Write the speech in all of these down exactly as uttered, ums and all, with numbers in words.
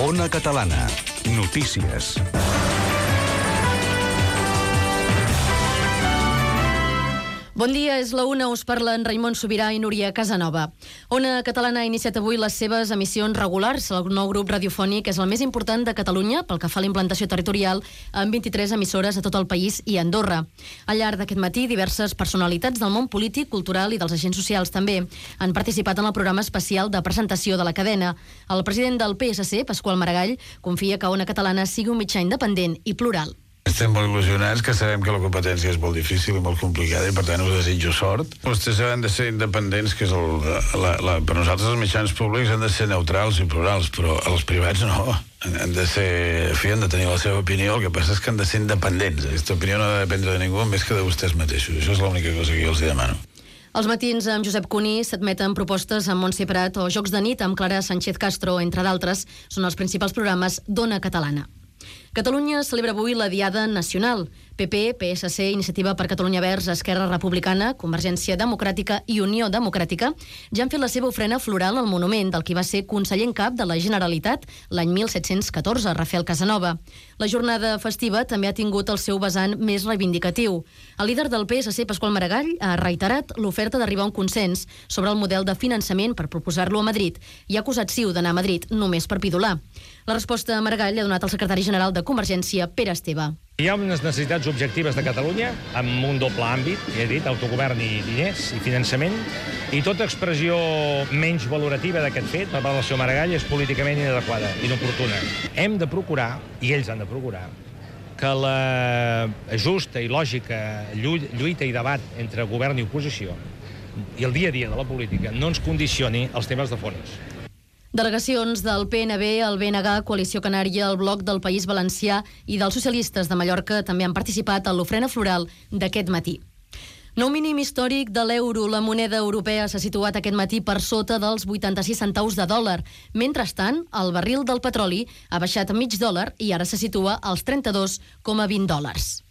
Ona Catalana. Notícies. Bon dia, és la una, us parlen Raimon Sobirà i Núria Casanova. Ona Catalana ha iniciat avui les seves emissions regulars. El nou grup radiofònic és el més important de Catalunya pel que fa a la implantació territorial, amb vint-i-tres emissores a tot el país i a Andorra. Al llarg d'aquest matí, diverses personalitats del món polític, cultural i dels agents socials també han participat en el programa especial de presentació de la cadena. El president del P S C, Pasqual Maragall, confia que Ona Catalana sigui un mitjà independent i plural. Estem molt il·lusionats, que sabem que la competència és molt difícil i molt complicada i per tant us desitjo sort. Vostès han de ser independents, que és el, la, la, per nosaltres els mitjans públics han de ser neutrals i plurals, però els privats no. Han de ser, en fi, han de tenir la seva opinió, el que passa és que han de ser independents. Aquesta opinió no ha de dependre de ningú més que de vostès mateixos. Això és l'única cosa que jo els demano. Els matins amb Josep Cuní s'admeten propostes amb Montse Prat o Jocs de nit amb Clara Sánchez Castro, entre d'altres, són els principals programes d'Ona Catalana. Catalunya celebra avui la Diada Nacional. P P, P S C, Iniciativa per Catalunya Verds, Esquerra Republicana, Convergència Democràtica i Unió Democràtica ja han fet la seva ofrena floral al monument del qui va ser conseller en cap de la Generalitat l'any mil set-cents catorze, Rafael Casanova. La jornada festiva també ha tingut el seu vessant més reivindicatiu. El líder del P S C, Pasqual Maragall, ha reiterat l'oferta d'arribar a un consens sobre el model de finançament per proposar-lo a Madrid i ha acusat Ciu d'anar a Madrid només per pidolar. La resposta a Maragall ha donat el secretari general de Convergència, Pere Esteve. Hi ha unes necessitats objectives de Catalunya amb un doble àmbit, ja he dit, autogovern i diners i finançament, i tota expressió menys valorativa d'aquest fet per part del senyor Maragall és políticament inadequada, inoportuna. Hem de procurar, i ells han de procurar, que la justa i lògica lluita i debat entre govern i oposició i el dia a dia de la política no ens condicioni els temes de fons. Delegacions del P N B, el B N G, Coalició Canària, el Bloc del País Valencià i dels socialistes de Mallorca també han participat en l'ofrena floral d'aquest matí. Nou mínim històric de l'euro. La moneda europea s'ha situat aquest matí per sota dels vuitanta-sis centaus de dòlar. Mentrestant, el barril del petroli ha baixat a mig dòlar i ara se situa als trenta-dos coma vint dòlars.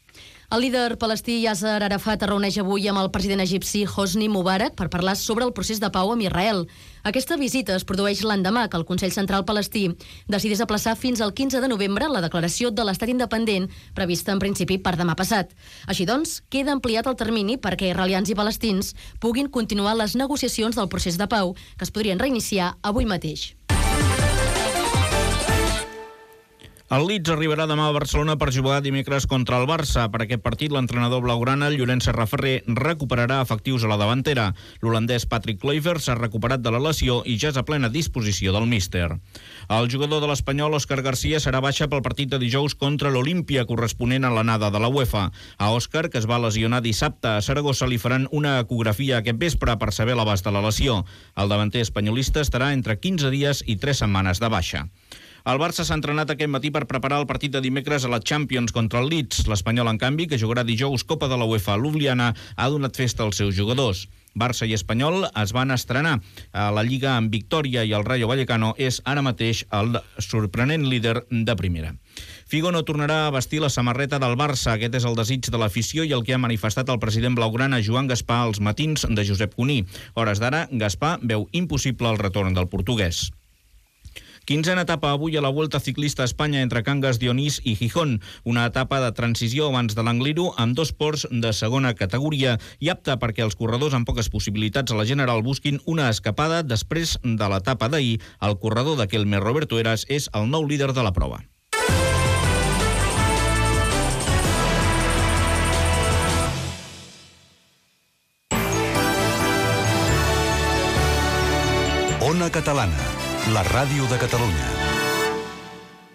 El líder palestí Yasser Arafat es reuneix avui amb el president egipci Hosni Mubarak per parlar sobre el procés de pau amb Israel. Aquesta visita es produeix l'endemà que el Consell Central Palestí decidís aplaçar fins al quinze de novembre la declaració de l'estat independent prevista en principi per demà passat. Així doncs, queda ampliat el termini perquè israelians i palestins puguin continuar les negociacions del procés de pau que es podrien reiniciar avui mateix. El Leeds arribarà demà a Barcelona per jugar dimecres contra el Barça. Per aquest partit, l'entrenador blaugrana, Llorenç Serraferrer, recuperarà efectius a la davantera. L'holandès Patrick Kluivert s'ha recuperat de la lesió i ja és a plena disposició del míster. El jugador de l'Espanyol, Òscar García, serà baixa pel partit de dijous contra l'Olímpia, corresponent a l'anada de la UEFA. A Òscar, que es va lesionar dissabte a Saragossa, li faran una ecografia aquest vespre per saber l'abast de la lesió. El davanter espanyolista estarà entre quinze dies i tres setmanes de baixa. El Barça s'ha entrenat aquest matí per preparar el partit de dimecres a la Champions contra el Leeds. L'Espanyol, en canvi, que jugarà dijous Copa de la UEFA a Ljubljana, ha donat festa als seus jugadors. Barça i Espanyol es van estrenar a la Lliga amb victòria i el Rayo Vallecano és ara mateix el sorprenent líder de primera. Figo no tornarà a vestir la samarreta del Barça. Aquest és el desig de l'afició i el que ha manifestat el president blaugrana Joan Gaspar als matins de Josep Cuní. A hores d'ara, Gaspar veu impossible el retorn del portuguès. Quinzena etapa avui a la Vuelta Ciclista a Espanya entre Cangas, Dionís i Gijón. Una etapa de transició abans de l'Angliru amb dos ports de segona categoria i apta perquè els corredors amb poques possibilitats a la general busquin una escapada després de l'etapa d'ahir. El corredor de Kelmer, Roberto Heras, és el nou líder de la prova. Ona Catalana, la ràdio de Catalunya.